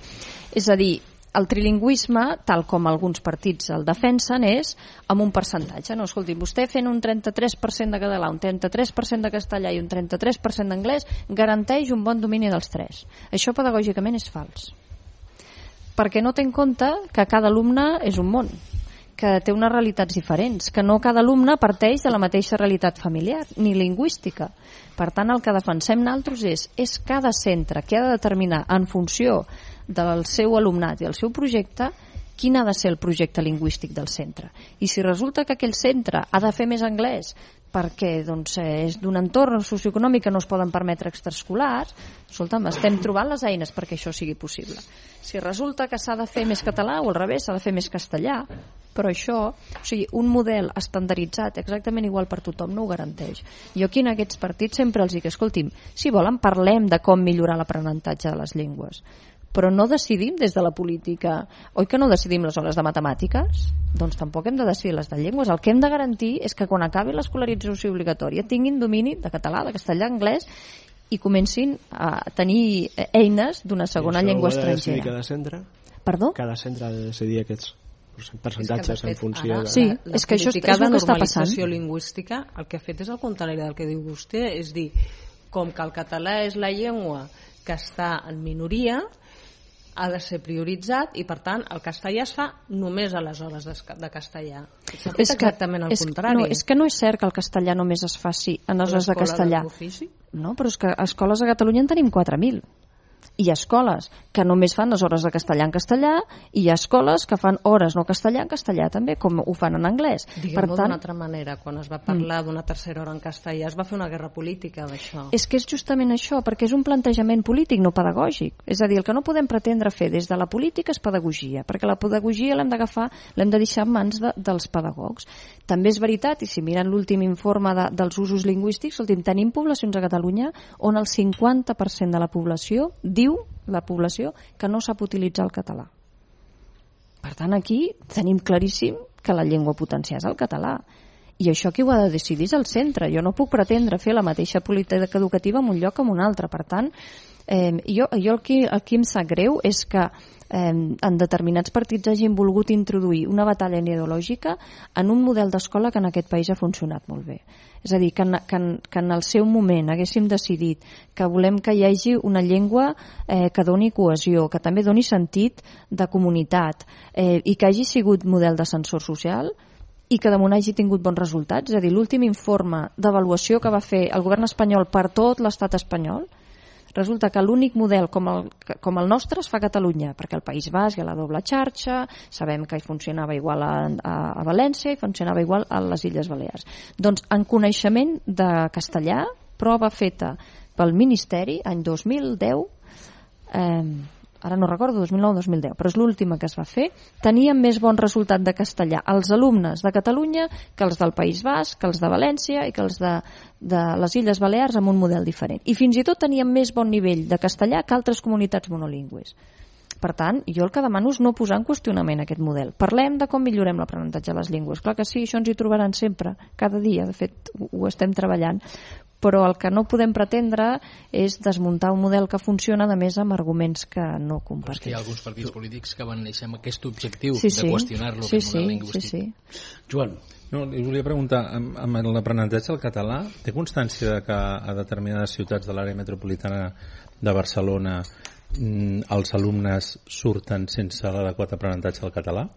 és a dir, el trilingüisme, tal com alguns partits el defensen, és amb un percentatge. No, escolti, vostè fent un 33% de català, un 33% de castellà i un 33% d'anglès garanteix un bon domini dels 3. Això pedagògicament és fals. Perquè no té en compte que cada alumne és un món, que té unes realitats diferents, que no cada alumne parteix de la mateixa realitat familiar, ni lingüística. Per tant, el que defensem nosaltres és cada centre que ha de determinar en funció del seu alumnat i el seu projecte quin ha de ser el projecte lingüístic del centre. I si resulta que aquell centre ha de fer més anglès perquè doncs, és d'un entorn socioeconòmic que no es poden permetre extraescolars, escolta'm, estem trobant les eines perquè això sigui possible. Si resulta que s'ha de fer més català o al revés, s'ha de fer més castellà, però això, o sigui, un model estandarditzat exactament igual per tothom no ho garanteix. Jo aquí en aquests partits sempre els dic, escolti'm, si volen parlem de com millorar l'aprenentatge de les llengües, però no decidim des de la política. Oi que no decidim les hores de matemàtiques? Doncs tampoc hem de decidir les de llengües. El que hem de garantir és que quan acabi l'escolarització obligatòria tinguin domini de català, de castellà, anglès i comencin a tenir eines d'una segona llengua estrangera. Cada centre? Perdó? Cada centre ha de decidir aquests percentatges en funció de... Sí, és que això és el que està passant. La normalització lingüística el que ha fet és el contrari del que diu vostè, és dir, com que el català és la llengua que està en minoria, ha de ser prioritzat i per tant el castellà es fa només a les hores de castellà. S'ha fet exactament el contrari. No, és que no és cert que el castellà només es faci en les hores de castellà. No, però és que escoles a Catalunya en tenim 4.000. Hi ha escoles que només fan les hores de castellà en castellà i hi ha escoles que fan hores no castellà en castellà també, com ho fan en anglès. Diguem-ho d'una altra manera, quan es va parlar d'una tercera hora en castellà es va fer una guerra política d'això. És que és justament això, perquè és un plantejament polític, no pedagògic. És a dir, el que no podem pretendre fer des de la política és pedagogia, perquè la pedagogia l'hem d'agafar, l'hem de deixar en mans dels pedagogs. També és veritat, i si miren l'últim informe dels usos lingüístics, tenim poblacions a Catalunya on el 50% de la població diu la població que no sap utilitzar el català. Per tant, aquí tenim claríssim que la llengua a potenciar és el català. I això qui ho ha de decidir és el centre. Jo no puc pretendre fer la mateixa política educativa en un lloc que en un altre. Per tant, jo el que em sap greu és que en determinats partits hagin volgut introduir una batalla ideològica en un model d'escola que en aquest país ha funcionat molt bé. És a dir, que en el seu moment haguéssim decidit que volem que hi hagi una llengua que doni cohesió, que també doni sentit de comunitat i que hagi sigut model d'ascensor social i que damunt hagi tingut bons resultats. És a dir, l'últim informe d'avaluació que va fer el govern espanyol per tot l'estat espanyol, resulta que l'únic model com el nostre es fa a Catalunya, perquè al País Basc hi ha la doble xarxa, sabem que funcionava igual a València i funcionava igual a les Illes Balears. Doncs en coneixement de castellà, prova feta pel Ministeri, any 2010, ara no recordo, 2009 o 2010, però és l'última que es va fer, tenien més bon resultat de castellà els alumnes de Catalunya que els del País Basc, que els de València i que els de les Illes Balears amb un model diferent. I fins i tot tenien més bon nivell de castellà que altres comunitats monolingües. Per tant, jo el que demano és no posar en qüestionament aquest model. Parlem de com millorem l'aprenentatge de les llengües. Clar que sí, això ens hi trobaran sempre, cada dia, de fet ho estem treballant, però el que no podem pretendre és desmuntar un model que funciona, a més amb arguments que no compartim. Hi ha alguns partits polítics que van néixer amb aquest objectiu de qüestionar-lo, aquest model lingüístic. Joan. No, li volia preguntar, amb l'aprenentatge del català, té constància que a determinades ciutats de l'àrea metropolitana de Barcelona els alumnes surten sense l'adequat aprenentatge del català?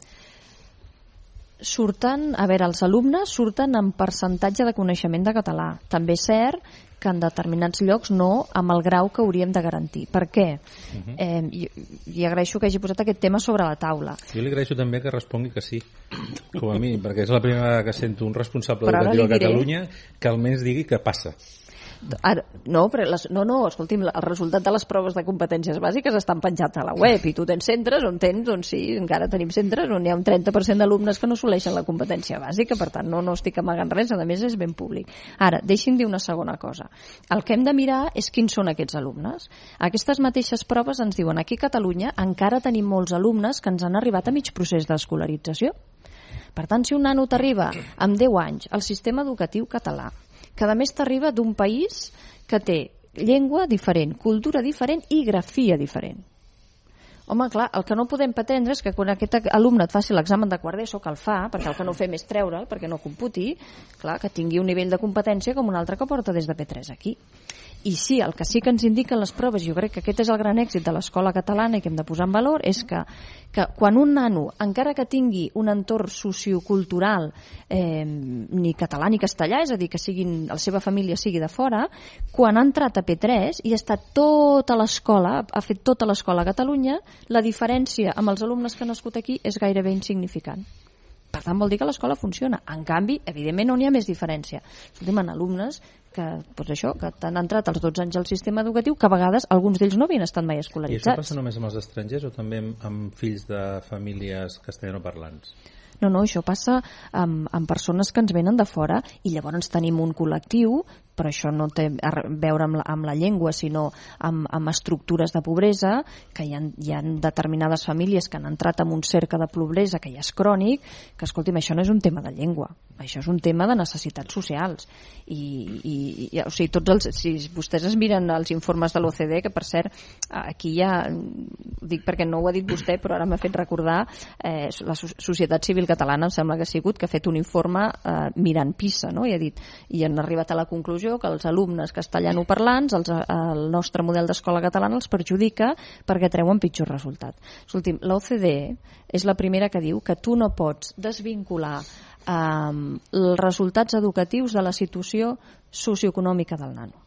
Els alumnes surten amb percentatge de coneixement de català. També és cert que en determinats llocs no amb el grau que hauríem de garantir. Per què? I agraeixo que hagi posat aquest tema sobre la taula. Jo li agraeixo també que respongui que sí, com a mi, perquè és la primera vegada que sento un responsable educatiu a Catalunya que almenys digui que passa. Escolti'm, el resultat de les proves de competències bàsiques estan penjats a la web i tu tens centres on encara tenim centres on hi ha un 30% d'alumnes que no assoleixen la competència bàsica, per tant no estic amagant res, a més és ben públic. Ara, deixi'm dir una segona cosa. El que hem de mirar és quins són aquests alumnes. Aquestes mateixes proves ens diuen aquí a Catalunya encara tenim molts alumnes que ens han arribat a mig procés d'escolarització. Per tant, si un nano t'arriba amb 10 anys al sistema educatiu català, que a més t'arriba d'un país que té llengua diferent, cultura diferent i grafia diferent. Home, clar, el que no podem pretendre és que quan aquest alumne et faci l'examen de quart d'ESO, que el fa, perquè el que no fem és treure'l, perquè no computi, clar, que tingui un nivell de competència com un altre que porta des de P3 aquí. I sí, el que sí que ens indiquen les proves, jo crec que aquest és el gran èxit de l'escola catalana i que hem de posar en valor, és que quan un nano, encara que tingui un entorn sociocultural ni català ni castellà, és a dir, que la seva família sigui de fora, quan ha entrat a P3 i ha estat tota l'escola, ha fet tota l'escola a Catalunya, la diferència amb els alumnes que han nascut aquí és gairebé insignificant. Per tant, vol dir que l'escola funciona. En canvi, evidentment, no n'hi ha més diferència. Escoltem, en alumnes que han entrat als 12 anys al sistema educatiu, que a vegades alguns d'ells no havien estat mai escolaritzats. I això passa només amb els estrangers o també amb fills de famílies castellanoparlants? No, això passa amb persones que ens venen de fora i llavors tenim un col·lectiu, però això no té a veure amb la llengua, sinó amb estructures de pobresa, que hi ha determinades famílies que han entrat en un cercle de pobresa que ja és crònic, que escolti'm, això no és un tema de llengua, això és un tema de necessitats socials. O sigui, si vostès es miren els informes de l'OCDE, que per cert, aquí ja, dic perquè no ho ha dit vostè, però ara m'ha fet recordar, la Societat Civil Catalana, em sembla que ha sigut, que ha fet un informe mirant PISA, no? I han arribat a la conclusió que els alumnes castellanoparlants, el nostre model d'escola catalana els perjudica perquè treuen pitjors resultats. Escolti'm, l'OCDE és la primera que diu que tu no pots desvincular els resultats educatius de la situació socioeconòmica del nano.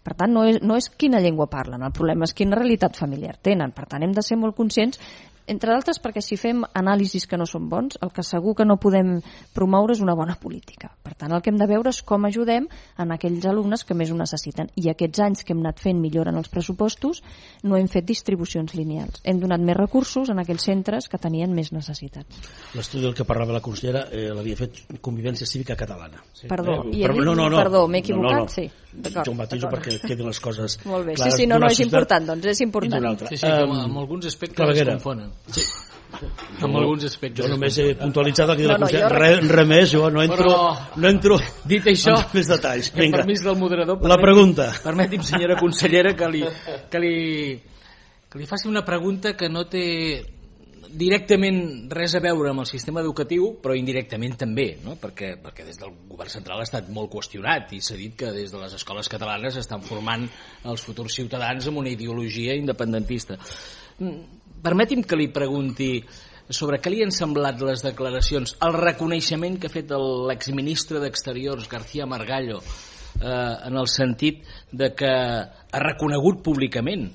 Per tant, no és quina llengua parlen, el problema és quina realitat familiar tenen. Per tant, hem de ser molt conscients, entre d'altres perquè si fem anàlisis que no són bons, el que segur que no podem promoure és una bona política. Per tant, el que hem de veure és com ajudem en aquells alumnes que més ho necessiten. I aquests anys que hem anat fent millora en els pressupostos no hem fet distribucions lineals. Hem donat més recursos en aquells centres que tenien més necessitats. L'estudi del que parlava la consellera l'havia fet Convivència Cívica Catalana. Sí. Perdó, no, m'he equivocat? No. Sí. Jo ho matiso perquè quedin les coses molt bé. clares. Sí, no és important, doncs és important. Sí, amb alguns aspectes es confonen. Sí. Amb alguns aspectes. Jo només he puntualitzat el que la consellera. Res més, jo no entro dit això, en més detalls. Vinga. Permís del moderador. La pregunta. Permeti'm, senyora consellera, que li faci una pregunta que no té directament res a veure amb el sistema educatiu, però indirectament també, no? perquè des del govern central ha estat molt qüestionat i s'ha dit que des de les escoles catalanes estan formant els futurs ciutadans amb una ideologia independentista. Permeti'm que li pregunti sobre què li han semblat les declaracions, el reconeixement que ha fet l'exministre d'Exteriors, García Margallo, en el sentit de que ha reconegut públicament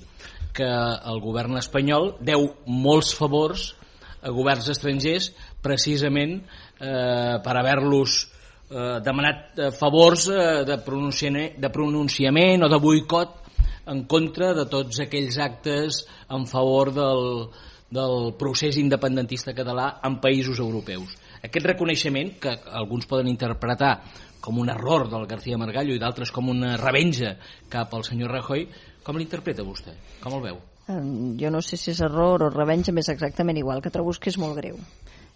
que el govern espanyol deu molts favors a governs estrangers precisament per haver-los demanat favors de pronunciament o de boicot en contra de tots aquells actes en favor del procés independentista català en països europeus. Aquest reconeixement, que alguns poden interpretar com un error del García Margallo i d'altres com una revenja cap al senyor Rajoy, com l'interpreta vostè? Com el veu? Jo no sé si és error o revenja, més exactament igual, que trobo que és molt greu.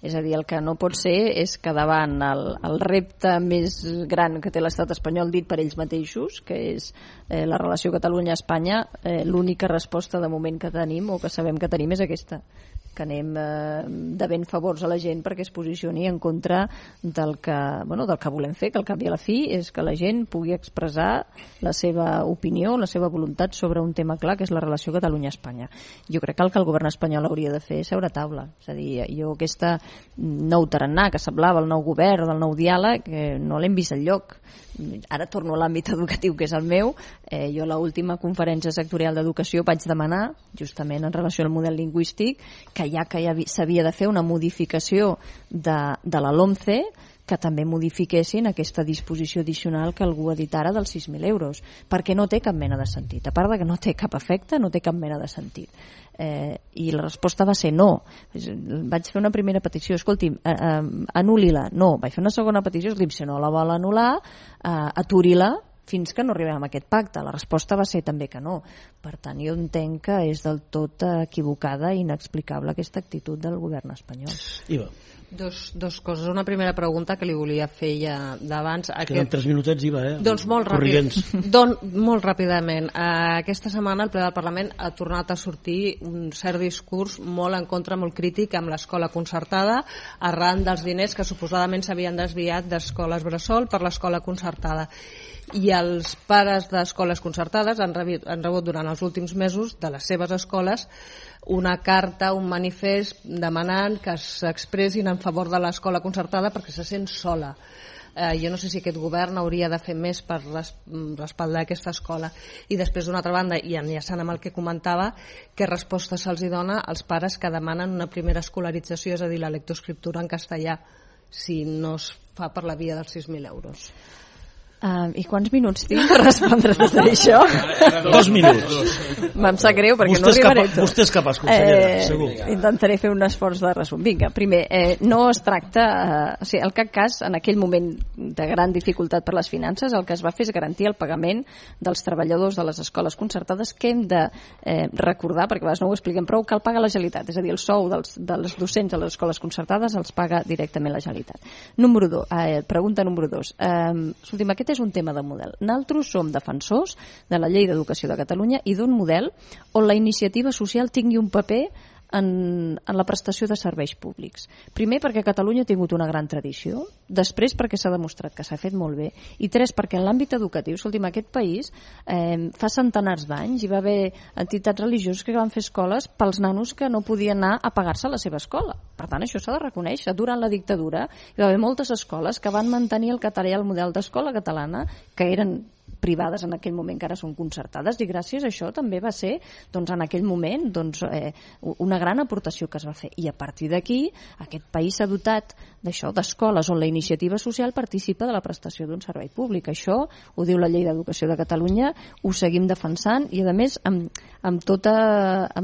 És a dir, el que no pot ser és que davant el repte més gran que té l'estat espanyol dit per ells mateixos, que és la relació Catalunya-Espanya, l'única resposta de moment que tenim o que sabem que tenim és aquesta, que anem devent favors a la gent perquè es posicioni en contra del que volem fer, que al cap i a la fi és que la gent pugui expressar la seva opinió, la seva voluntat sobre un tema clar, que és la relació Catalunya-Espanya. Jo crec que el que el govern espanyol hauria de fer és seure a taula. És a dir, jo aquesta nou tarannà que semblava el nou govern o del nou diàleg no l'hem vist enlloc. Ara torno a l'àmbit educatiu, que és el meu. Jo a l'última conferència sectorial d'educació vaig demanar, justament en relació al model lingüístic, que ja s'havia de fer una modificació de la LOMCE, que també modifiquessin aquesta disposició addicional que algú ha dit ara dels 6.000 euros, perquè no té cap mena de sentit. A part de que no té cap efecte, no té cap mena de sentit. I la resposta va ser no. Vaig fer una primera petició, escolti'm, anul·li-la. No, vaig fer una segona petició, escolti'm, si no la vol anul·lar, aturi-la fins que no arribem a aquest pacte. La resposta va ser també que no. Per tant, jo entenc que és del tot equivocada i inexplicable aquesta actitud del govern espanyol. Iva. Dos coses. Una primera pregunta que li volia fer ja d'abans. Queden 3 minutets, Iva, Doncs molt molt ràpidament. Aquesta setmana el ple del Parlament ha tornat a sortir un cert discurs molt en contra, molt crític amb l'escola concertada arran dels diners que suposadament s'havien desviat d'escoles bressol per l'escola concertada. I els pares d'escoles concertades han rebut durant els últims mesos de les seves escoles una carta, un manifest demanant que s'expressin en favor de l'escola concertada perquè se sent sola. Jo no sé si aquest govern hauria de fer més per respaldar aquesta escola. I després, d'una altra banda, i enllaçant amb el que comentava, què resposta se'ls dona als pares que demanen una primera escolarització, és a dir, la lectoescriptura en castellà, si no es fa per la via dels 6.000 euros. I quants minuts tinc per respondre tot això? 2 minuts. Em sap greu perquè no arribaré tot. Vostè és capaç, consellera, segur. Intentaré fer un esforç de resum. Vinga, primer, no es tracta... o sigui, al cap cas, en aquell moment de gran dificultat per les finances, el que es va fer és garantir el pagament dels treballadors de les escoles concertades, que hem de recordar, perquè a vegades no ho expliquem prou, que el paga la Generalitat. És a dir, el sou dels docents de les escoles concertades els paga directament la Generalitat. Pregunta número 2. Escolti'm, aquest és un tema de model. Nosaltres som defensors de la Llei d'Educació de Catalunya i d'un model on la iniciativa social tingui un paper en la prestació de serveis públics. Primer, perquè Catalunya ha tingut una gran tradició, després perquè s'ha demostrat que s'ha fet molt bé, i 3, perquè en l'àmbit educatiu, escolti'm, aquest país fa centenars d'anys hi va haver entitats religioses que van fer escoles pels nanos que no podien anar a pagar-se a la seva escola. Per tant, això s'ha de reconèixer. Durant la dictadura hi va haver moltes escoles que van mantenir el català i el model d'escola catalana, que eren privades en aquell moment, que ara són concertades, i gràcies a això també va ser en aquell moment una gran aportació que es va fer. I a partir d'aquí aquest país s'ha dotat d'això, d'escoles on la iniciativa social participa de la prestació d'un servei públic. Això ho diu la Llei d'Educació de Catalunya, ho seguim defensant, i a més amb tota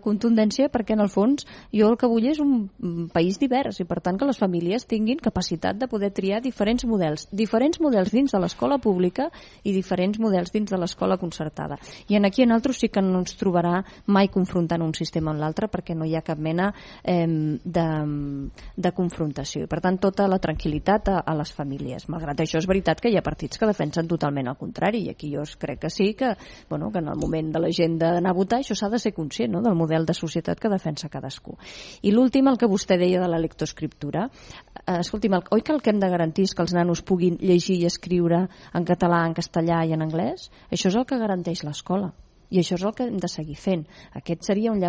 contundència, perquè en el fons jo el que vull és un país divers, i per tant que les famílies tinguin capacitat de poder triar diferents models dins de l'escola pública i diferents models dins de l'escola concertada. I aquí en altres sí que no ens trobarà mai confrontant un sistema amb l'altre, perquè no hi ha cap mena de confrontació. I per tant, tota la tranquil·litat a les famílies. Malgrat això, és veritat que hi ha partits que defensen totalment el contrari, i aquí jo crec que sí que en el moment de la gent d'anar a votar això s'ha de ser conscient, no?, del model de societat que defensa cadascú. I l'últim, el que vostè deia de la lectoescriptura, escolti'm, oi que el que hem de garantir és que els nanos puguin llegir i escriure en català, en castellà i en anglès? Això és el que garanteix l'escola. I això és el que hem de seguir fent. Aquest seria un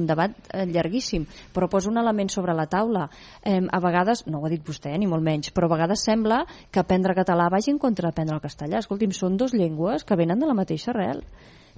debat llarguíssim, però posa un element sobre la taula. A vegades, no ho ha dit vostè, ni molt menys, però a vegades sembla que aprendre català vagi en contra d'aprendre el castellà. Escolti'm, són dues llengües que venen de la mateixa arrel.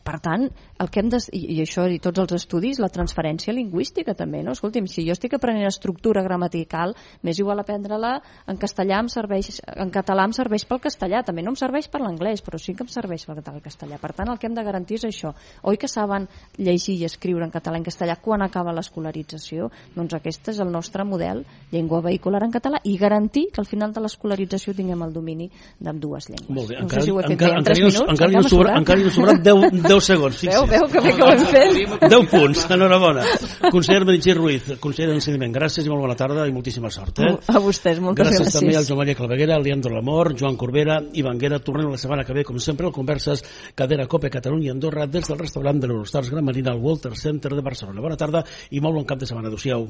Per tant, el que hem de... I això, i tots els estudis, la transferència lingüística també, no? Escolti'm, si jo estic aprenent estructura gramatical, m'és igual aprendre-la en castellà, en català em serveix pel castellà, també no em serveix per l'anglès, però sí que em serveix pel castellà. Per tant, el que hem de garantir és això. Oi que saben llegir i escriure en català i en castellà quan acaba l'escolarització? Doncs aquest és el nostre model, llengua vehicular en català, i garantir que al final de l'escolarització tinguem el domini d'ambdues llengües. Molt bé, no sé si ho he fet bé en 3 minuts. Encara hi ha sobrat 10 segons, fixi's. Veu que bé que ho hem fet. 10 punts, enhorabona. Conseller Meritxell Ruiz, conseller d'Ensenyament, gràcies i molt bona tarda i moltíssima sort. A vostès, moltes gràcies. Gràcies també al Joan Maria Claveguera, Leandro Lamor, Joan Corbera i Vanguera. Tornem la setmana que ve, com sempre, al Converses Cadena Cope Catalunya Andorra, des del restaurant de l'Eurostars Gran Marina al Walter Center de Barcelona. Bona tarda i molt bon cap de setmana. Adéu-siau.